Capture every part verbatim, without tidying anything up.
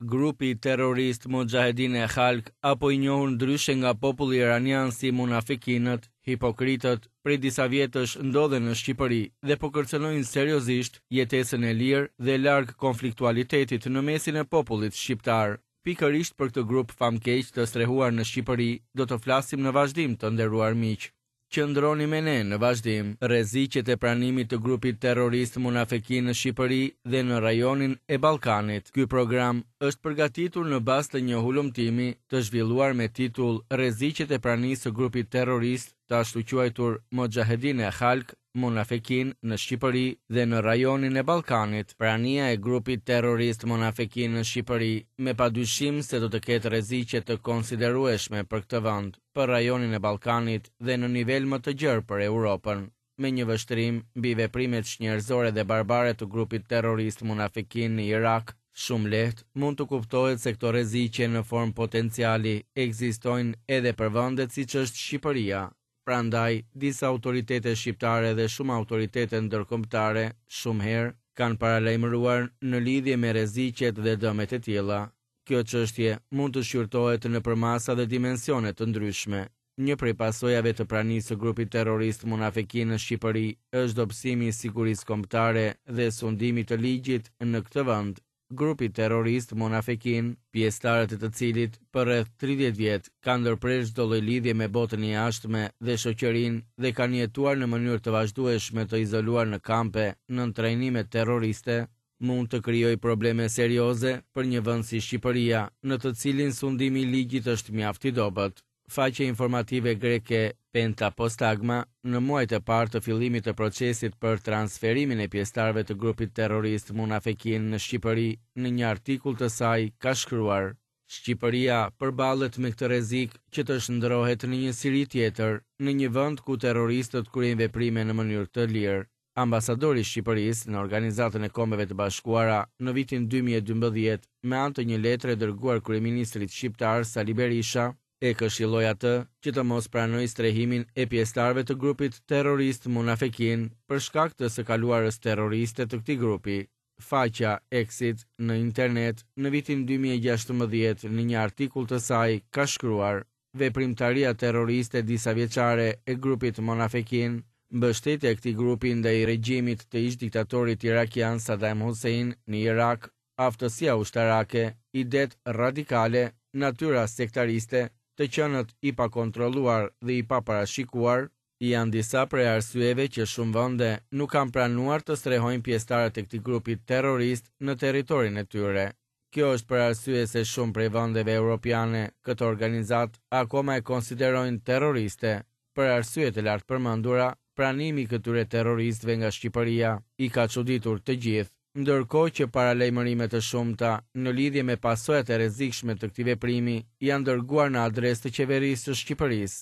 Grupi terrorist Muxhahedin e Khalk, apo i njohur ndryshe nga populli iranian si munafikinët, hipokritët, prej disa vjetësh ndodhen në Shqipëri dhe po kërcënojnë seriozisht jetesën e lirë dhe larg konfliktualitetit në mesin e popullit shqiptar. Pikërisht për këtë grup famkeq të strehuar në Shqipëri do të flasim në vazhdim, të nderuar miq. Qëndroni me ne në vazhdim. Rreziqet e pranimit të grupit terrorist Munafekin në Shqipëri dhe në rajonin e Ballkanit. Ky program është përgatitur në bazë të një hulumtimi të zhvilluar me titull Rreziqet e pranisë së grupit terrorist të ashtuquajtur Muxhahedin e Khalk Munafekin në Shqipëri dhe në rajonin e Ballkanit. Prania e grupit terrorist Munafekin në Shqipëri me padyshim se do të ketë rreziqe të konsiderueshme për këtë vend, për rajonin e Ballkanit dhe në nivel më të gjerë për Europën. Me një vështrim mbi veprimet çnjerëzore dhe barbare të grupit terrorist Munafekin në Irak, shumë lehtë mund të kuptohet se këto rreziqe në formë potenciali ekzistojnë edhe për vendet siç është Shqipëria. Prandaj, disa autoritete shqiptare dhe shumë autoritete ndërkombëtare shumë herë kanë paralajmëruar në lidhje me rreziqet dhe dëmet e tilla. Kjo çështje mund të shqyrtohet në përmasa dhe dimensione të ndryshme. Një prej pasojave të pranisë së grupit terrorist Munafekin në Shqipëri është dobësimi i sigurisë kombëtare dhe sundimit të ligjit në këtë vend. Grupi terrorist Munafekin, pjesëtarët e të cilit për rreth tridhjetë vjet kanë ndërprerë çdo lloj lidhje me botën e jashtme dhe shoqërinë dhe kanë jetuar në mënyrë të vazhdueshme të izoluar në kampe nën trajnime terroriste, mund të krijojë probleme serioze për një vend si Shqipëria, në të cilin sundimi i ligjit është mjaft i dobët. Faqja informative greke Penta Postagma, në muajt e parë të fillimit të procesit për transferimin e pjesëtarëve të grupit terrorist Munafekin në Shqipëri, në një artikull të saj ka shkruar: Shqipëria përballet me këtë rrezik që të shndrohet në një Siri tjetër, në një vend ku terroristët kryejnë veprime në mënyrë të lirë. Ambasadori i Shqipërisë në Organizatën e Kombeve të Bashkuara në vitin dy mijë e dymbëdhjetë, me anë të një letre dërguar kryeministrit shqiptar Sali Berisha, e këshilloi atë që të mos pranojë strehimin e pjesëtarëve të grupit terrorist Munafekin për shkak të së kaluarës terroriste të këtij grupi. Faqja Exit në internet në vitin dy mijë e gjashtëmbëdhjetë në një artikull të saj ka shkruar: Veprimtaria terroriste disa vjeçare e grupit Munafekin, mbështetja e këtij grupi ndaj regjimit të ish diktatorit irakian Saddam Hussein në Irak, aftësia ushtarake, idet radikale, natyra sektariste, të qenët i pakontrolluar dhe i paparashikuar, janë disa prej arsyeve që shumë vende nuk kanë pranuar të strehojnë pjesëtarët e këtij grupi terrorist në territorin e tyre. Kjo është për arsye se shumë prej vendeve europiane këtë organizatë akoma e konsiderojnë terroriste. Për arsye të lartpërmendura, pranimi i këtyre terroristëve nga Shqipëria i ka çuditur të gjithë, ndërkohë që paralajmërime të shumta në lidhje me pasojat e rrezikshme të këtij veprimi janë dërguar në adresë të qeverisë së Shqipërisë.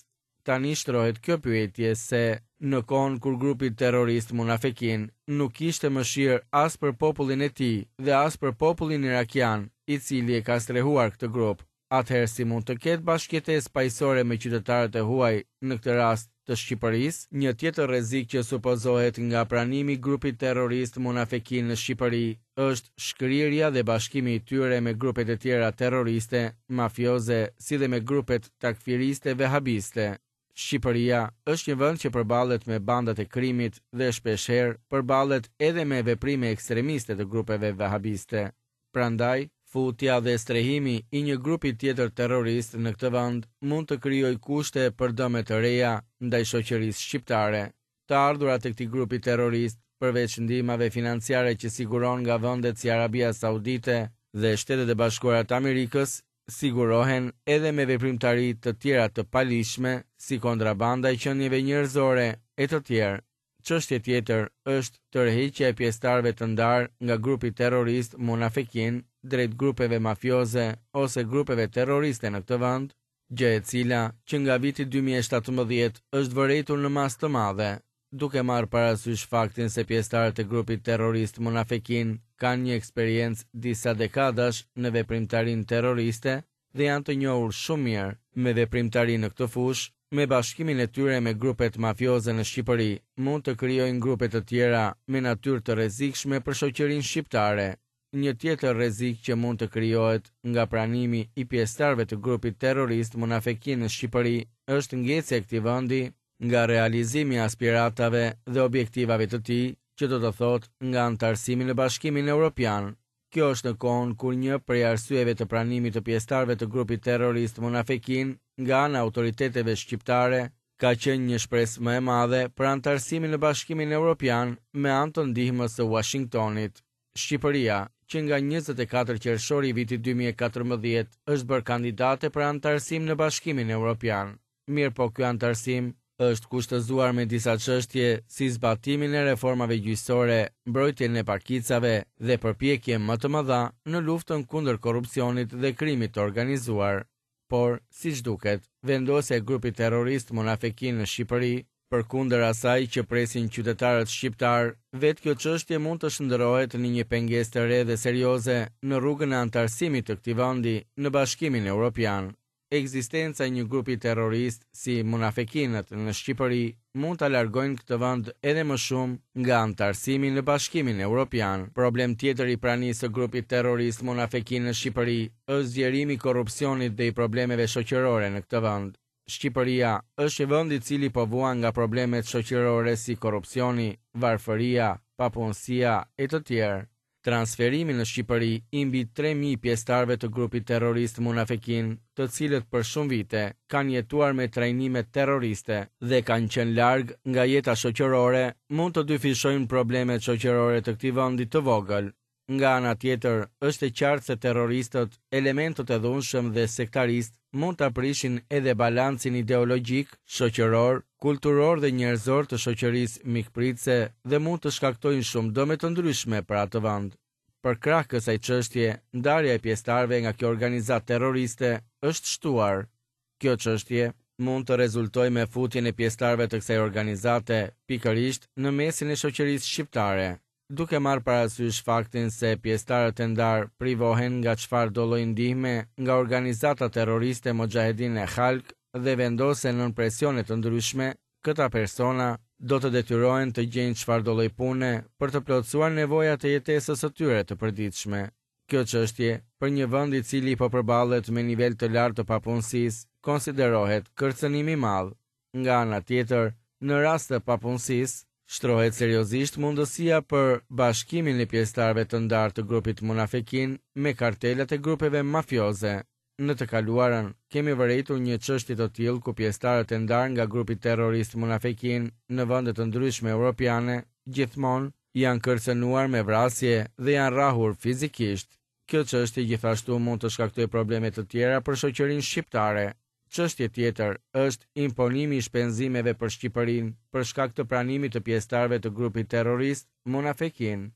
Tani shtrohet kjo pyetje se, në kohën kur grupi terrorist Munafekin nuk kishte mëshirë as për popullin e tij dhe as për popullin irakian, i cili e ka strehuar këtë grup, atëherë si mund të ketë bashkëjetesë paqësore me qytetarët e huaj, në këtë rast të Shqipërisë? Një tjetër rrezik që supozohet nga pranimi i grupit terrorist Munafekin në Shqipëri është shkrirja dhe bashkimi i tyre me grupet e tjera terroriste, mafioze, si dhe me grupet takfiriste vehabiste. Shqipëria është një vend që përballet me bandat e krimit dhe shpeshherë përballet edhe me veprime ekstremiste të grupeve vehabiste. Prandaj, futja dhe strehimi i një grupi tjetër terrorist në këtë vend mund të krijojë kushte për dëme të reja ndaj shoqërisë shqiptare. Të ardhurat e këtij grupi terrorist, përveç ndihmave financiare që siguron nga vendet si Arabia Saudite dhe Shtetet e Bashkuara të Amerikës, sigurohen edhe me veprimtari të tjera të paligjshme, si kontrabanda e qenieve njerëzore e të tjerë. Çështje tjetër është tërheqja e pjesëtarëve të ndarë nga grupi terrorist Munafekin drejt grupeve mafioze ose grupeve terroriste në këtë vend, gjë e cila që nga viti dy mijë e shtatëmbëdhjetë është vërejtur në masë të madhe, duke marrë parasysh faktin se pjesëtarët e grupit terrorist Munafekin kanë një eksperiencë disa dekadash në veprimtarinë terroriste dhe janë të njohur shumë mirë me veprimtarinë në këtë fushë. Me bashkimin e tyre me grupet mafioze në Shqipëri, mund të krijojnë grupe të tjera me natyrë të rrezikshme për shoqërinë shqiptare. Një tjetër rrezik që mund të krijohet nga pranimi i pjesëtarëve të grupit terrorist Munafekin në Shqipëri është ngecja e këtij vendi nga realizimi i aspiratave dhe objektivave të tij, që do të thotë nga anëtarësimi në Bashkimin Evropian. Kjo është në kohën kur një prej arsyeve të pranimit të pjesëtarëve të grupit terrorist Munafekin nga ana e autoriteteve shqiptare ka qenë një shpresë më e madhe për anëtarësimin në Bashkimin Evropian me anë të ndihmës së Washingtonit. Shqipëria, që nga njëzet e katër qershori i vitit dy mijë e katërmbëdhjetë, është bërë kandidate për anëtarësim në Bashkimin Evropian. Mirëpo ky anëtarësim është kushtëzuar me disa çështje si zbatimin e reformave gjyqësore, mbrojtjen e pakicave dhe përpjekje më të mëdha në luftën kundër korrupsionit dhe krimit të organizuar. Por, siç duket, vendosja e grupit terrorist Munafekin në Shqipëri, përkundër asaj që presin qytetarët shqiptar, vetë kjo çështje mund të shndërrohet në një pengesë të re dhe serioze në rrugën e anëtarësimit të këtij vendi në Bashkimin Evropian. Ekzistenca e një grupi terrorist si Munafekinët në Shqipëri mund ta largojnë këtë vend edhe më shumë nga anëtarësimi në Bashkimin Evropian. Problem tjetër i pranisë së grupit terrorist Munafekin në Shqipëri është zgjerimi i korrupsionit dhe i problemeve shoqërore në këtë vend. Shqipëria është një vend i cili po vuan nga problemet shoqërore si korrupsioni, varfëria, papunësia e të tjerë. Transferimi në Shqipëri i mbi tre mijë pjesëtarëve të grupit terrorist Munafekin, të cilët për shumë vite kanë jetuar me trajnime terroriste dhe kanë qenë larg nga jeta shoqërore, mund të dyfishojnë problemet shoqërore të këtij vendi të vogël. Nga ana tjetër, është e qartë se terroristët, elementët e dhunshëm dhe sektarist mund ta prishin edhe balancin ideologjik, shoqëror, kulturor dhe njerëzor të shoqërisë mikpritëse dhe mund të shkaktojnë shumë dëme të ndryshme për atë vend. Për krah kësaj çështje, ndarja e pjesëtarëve nga kjo organizatë terroriste është shtuar. Kjo çështje mund të rezultojë me futjen e pjesëtarëve të kësaj organizate pikërisht në mesin e shoqërisë shqiptare, duke marrë parasysh faktin se pjesëtarët e ndarë privohen nga çfarë do lloj ndihme nga organizata terroriste Mujahedin e Khalq dhe vendosen nën presione të ndryshme, këta persona do të detyrohen të gjejnë çfarë do lloj pune për të plotësuar nevojat e jetesës së tyre të përditshme. Kjo çështje, për një vend i cili po përballet me nivel të lartë të papunësisë, konsiderohet kërcënim i madh. Nga ana tjetër, në rast të papunësisë, shtrohet seriozisht mundësia për bashkimin e pjesëtarëve të ndarë të grupit Munafekin me kartelat e grupeve mafioze. Në të kaluarën, kemi vërejtur një çështje të tillë ku pjesëtarët e ndarë nga grupi terrorist Munafekin në vende të ndryshme europiane gjithmonë janë kërcënuar me vrasje dhe janë rrahur fizikisht. Kjo çështje gjithashtu mund të shkaktojë probleme të tjera për shoqërinë shqiptare. Çështje tjetër është imponimi i shpenzimeve për Shqipërinë për shkak të pranimit të pjesëtarëve të grupit terrorist Munafekin.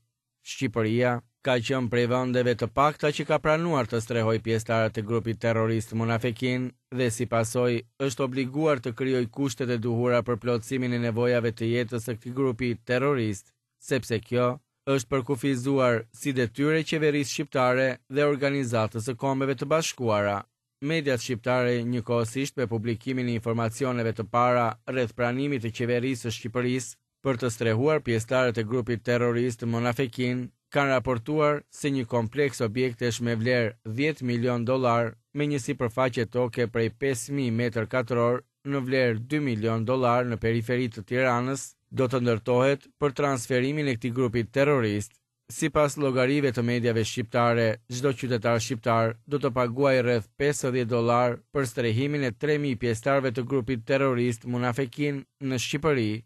Shqipëria ka qenë prej vendeve të pakta që ka pranuar të strehojë pjesëtarët e grupit terrorist Munafekin dhe si pasojë është obliguar të krijojë kushtet e duhura për plotësimin e nevojave të jetës së këtij grupi terrorist, sepse kjo është përkufizuar si detyrë e qeverisë shqiptare dhe organizatës së Kombeve të Bashkuara. Mediat shqiptare njëkohësisht me publikimin e informacioneve të para rreth pranimit të qeverisë së Shqipërisë për të strehuar pjesëtarët e grupit terrorist Munafekin, kanë raportuar se një kompleks objektesh me vlerë dhjetë milion dollar me një sipërfaqe toke prej pesë mijë metër katror në vlerë dy milion dollar në periferi të Tiranës do të ndërtohet për transferimin e këtij grupi terrorist. Sipas llogarive të mediave shqiptare, çdo qytetar shqiptar do të paguajë rreth pesëdhjetë dollar për strehimin e tre mijë pjesëtarëve të grupit terrorist Munafekin në Shqipëri.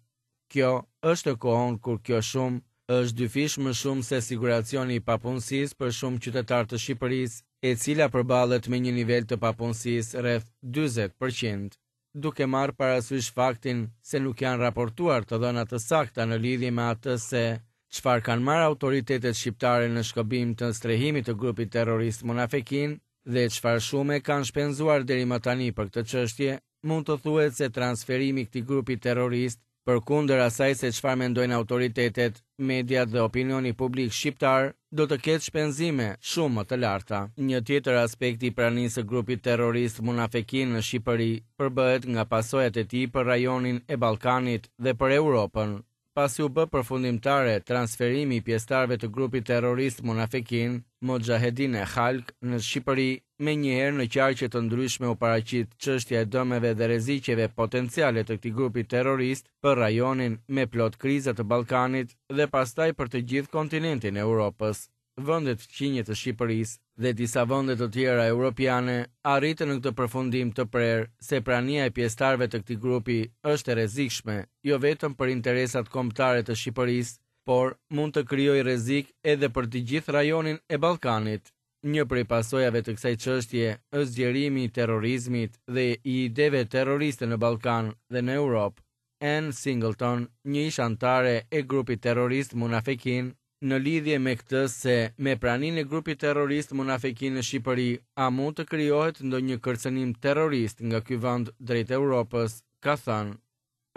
Kjo është në kohën kur kjo shumë është dyfish më shumë se siguracioni i papunësisë për shumë qytetarë të Shqipërisë, e cila përballet me një nivel të papunësisë rreth dyzet përqind. Duke marrë parasysh faktin se nuk janë raportuar të dhëna të sakta në lidhje me atë se çfarë kanë marrë autoritetet shqiptare në shkëmbim të strehimit të grupit terrorist Munafekin dhe çfarë shume kanë shpenzuar deri më tani për këtë çështje, mund të thuhet se transferimi i këtij grupi terrorist, përkundër asaj se çfarë mendojnë autoritetet, mediat dhe opinioni publik shqiptar, do të ketë shpenzime shumë më të larta. Një tjetër aspekt i pranisë së grupit terrorist Munafekin në Shqipëri përbëhet nga pasojat e tij për rajonin e Ballkanit dhe për Europën. pasi u bë përfundimtare transferimi i pjesëtarëve të grupit terrorist Munafekin, Moxhahedin e Khalq në Shqipëri, menjëherë në qarqe të ndryshme u paraqit çështja e dëmeve dhe rreziqeve potenciale të këtij grupi terrorist për rajonin me plot kriza të Ballkanit dhe pastaj për të gjithë kontinentin e Europës. Vendet fqinje të Shqipërisë dhe disa vende të tjera europiane arritën në këtë përfundim të prerë se prania e pjesëtarëve të këtij grupi është e rrezikshme, jo vetëm për interesat kombëtare të Shqipërisë, por mund të krijojë rrezik edhe për të gjithë rajonin e Ballkanit. Një prej pasojave të kësaj çështje është zgjerimi i terrorizmit dhe i ideve terroriste në Ballkan dhe në Europë. Ann Singleton, një ish anëtare e grupit terrorist Munafekin, në lidhje me këtë se me praninë e grupit terrorist Munafekin në Shqipëri, a mund të krijohet ndonjë kërcënim terrorist nga ky vend drejt Europës, ka thënë: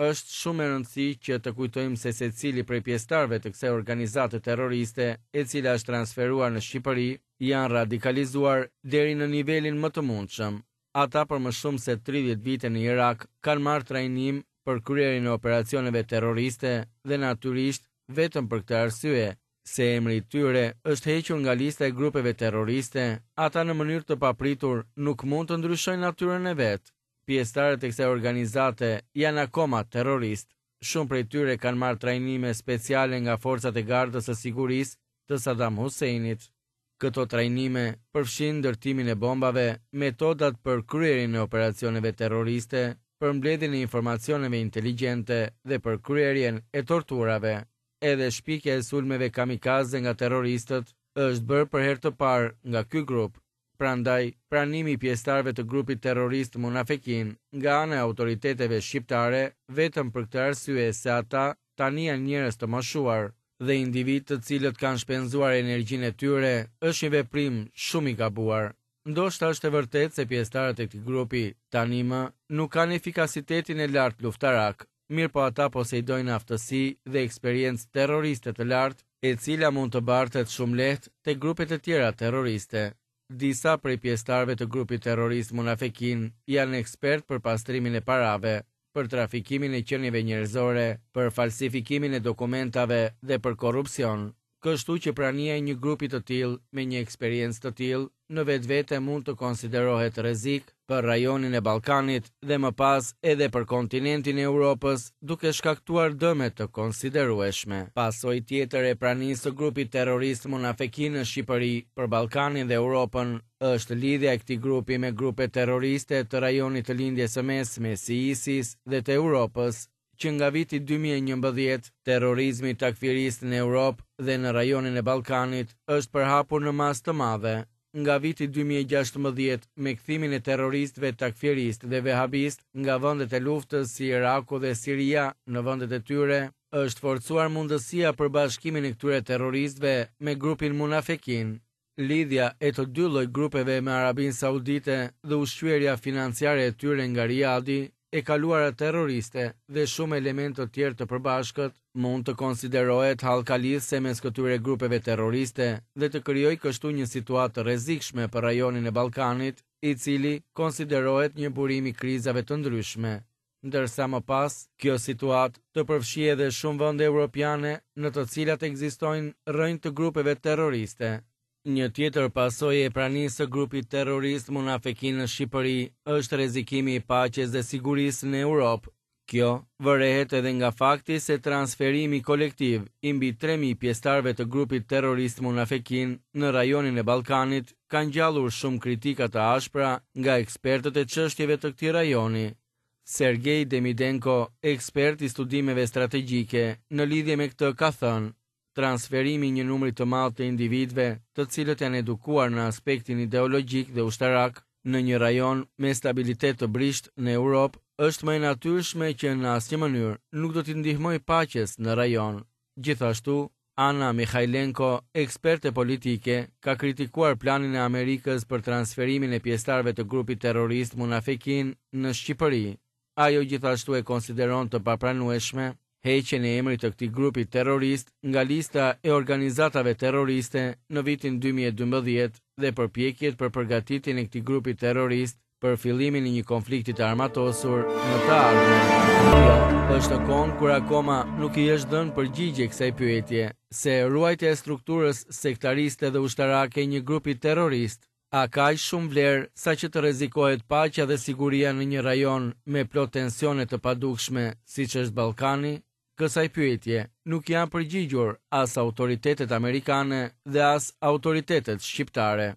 Është shumë e rëndësi që të kujtojmë se secili prej pjesëtarëve të kësaj organizate terroriste, e cila është transferuar në Shqipëri, janë radikalizuar deri në nivelin më të mundshëm. Ata për më shumë se tridhjetë vite në Irak kanë marrë trajnim për kryerjen e operacioneve terroriste dhe natyrisht vetëm për këtë arsye, se emri i tyre është hequr nga lista e grupeve terroriste, ata në mënyrë të papritur nuk mund të ndryshojnë natyrën e vet. Pjesëtarët e kësaj organizate janë akoma terroristë. Shumë prej tyre kanë marrë trajnime speciale nga forcat e gardës së sigurisë të Saddam Husseinit. Këto trajnime përfshin ndërtimin e bombave, metodat për kryerjen e operacioneve terroriste, për mbledhjen e informacioneve inteligjente dhe për kryerjen e torturave. Edhe shpikja e sulmeve kamikaze nga terroristët është bërë për herë të parë nga ky grup. Prandaj, pranimi i pjesëtarëve të grupit terrorist Munafekin nga ana e autoriteteve shqiptare vetëm për këtë arsye se ata tani janë njerëz të moshuar dhe individ të cilët kanë shpenzuar energjinë e tyre është një veprim shumë i gabuar. Ndoshta është e vërtetë se pjesëtarët e këtij grupi tani më nuk kanë efikasitetin e lartë luftarak, mirë po ata posedojnë aftësi dhe eksperiencë terroriste të lartë, e cila mund të bartet shumë lehtë te grupet e tjera terroriste. Disa prej pjesëtarëve të grupit terrorist Munafekin janë ekspert për pastrimin e parave, për trafikimin e qenieve njerëzore, për falsifikimin e dokumentave dhe për korrupsion. Kështu që prania e një grupi të tillë me një eksperiencë të tillë në vetvete mund të konsiderohet rrezik për rajonin e Ballkanit dhe më pas edhe për kontinentin e Europës, duke shkaktuar dëme të konsiderueshme. Pasojë tjetër e pranisë së grupit terrorist Munafekin në Shqipëri për Ballkanin dhe Europën është lidhja e këtij grupi me grupe terroriste të rajonit të Lindjes së Mesme si ISIS dhe të Europës. Që nga viti dy mijë e njëmbëdhjetë, terrorizmi takfirist në Europë dhe në rajonin e Ballkanit është përhapur në masë të madhe. Nga viti dy mijë e gjashtëmbëdhjetë, me kthimin e terroristëve takfiristë dhe vehabistë nga vendet e luftës si Iraku dhe Siria në vendet e tyre, është forcuar mundësia për bashkimin e këtyre terroristëve me grupin Munafekin. Lidhja e të dy lloj grupeve me Arabinë Saudite dhe ushqyerja financiare e tyre nga Riadi, e kaluara terroriste dhe shumë elementë të tjerë të përbashkët mund të konsiderohet hallka lidhëse mes këtyre grupeve terroriste dhe të krijojë kështu një situatë të rrezikshme për rajonin e Ballkanit, i cili konsiderohet një burim i krizave të ndryshme. Ndërsa më pas, kjo situatë të përfshijë edhe shumë vende europiane në të cilat ekzistojnë rrënjë të grupeve terroriste. Një tjetër pasojë e pranisë së grupit terrorist Munafekin në Shqipëri është rrezikimi i paqes dhe sigurisë në Europë. Kjo vërehet edhe nga fakti se transferimi kolektiv i mbi tre mijë pjesëtarëve të grupit terrorist Munafekin në rajonin e Ballkanit ka ngjallur shumë kritika të ashpra nga ekspertët e çështjeve të këtij rajoni. Sergej Demidenko, ekspert i studimeve strategjike, në lidhje me këtë ka thënë: transferimi i një numri të madh të individëve, të cilët janë edukuar në aspektin ideologjik dhe ushtarak në një rajon me stabilitet të brishtë në Europë, është më e natyrshme që në asnjë mënyrë nuk do t'i ndihmojë paqes në rajon. Gjithashtu, Anna Mikhailenko, eksperte politike, ka kritikuar planin e Amerikës për transferimin e pjesëtarëve të grupit terrorist Munafekin në Shqipëri. Ajo gjithashtu e konsideron të papranueshme heqjen e emrit të këtij grupi terrorist nga lista e organizatave terroriste në vitin dy mijë e dymbëdhjetë dhe përpjekjet për përgatitjen e këtij grupi terrorist për fillimin e një konflikti të armatosur në të ardhmen. Kjo është në kohën kur akoma nuk i është dhënë përgjigje kësaj pyetje se ruajtja e strukturës sektariste dhe ushtarake e një grupi terrorist a ka aq shumë vlerë sa që të rrezikohet paqja dhe siguria në një rajon me plot tensione të padukshme siç është Ballkani? Kësaj pyetje nuk janë përgjigjur as autoritetet amerikane dhe as autoritetet shqiptare.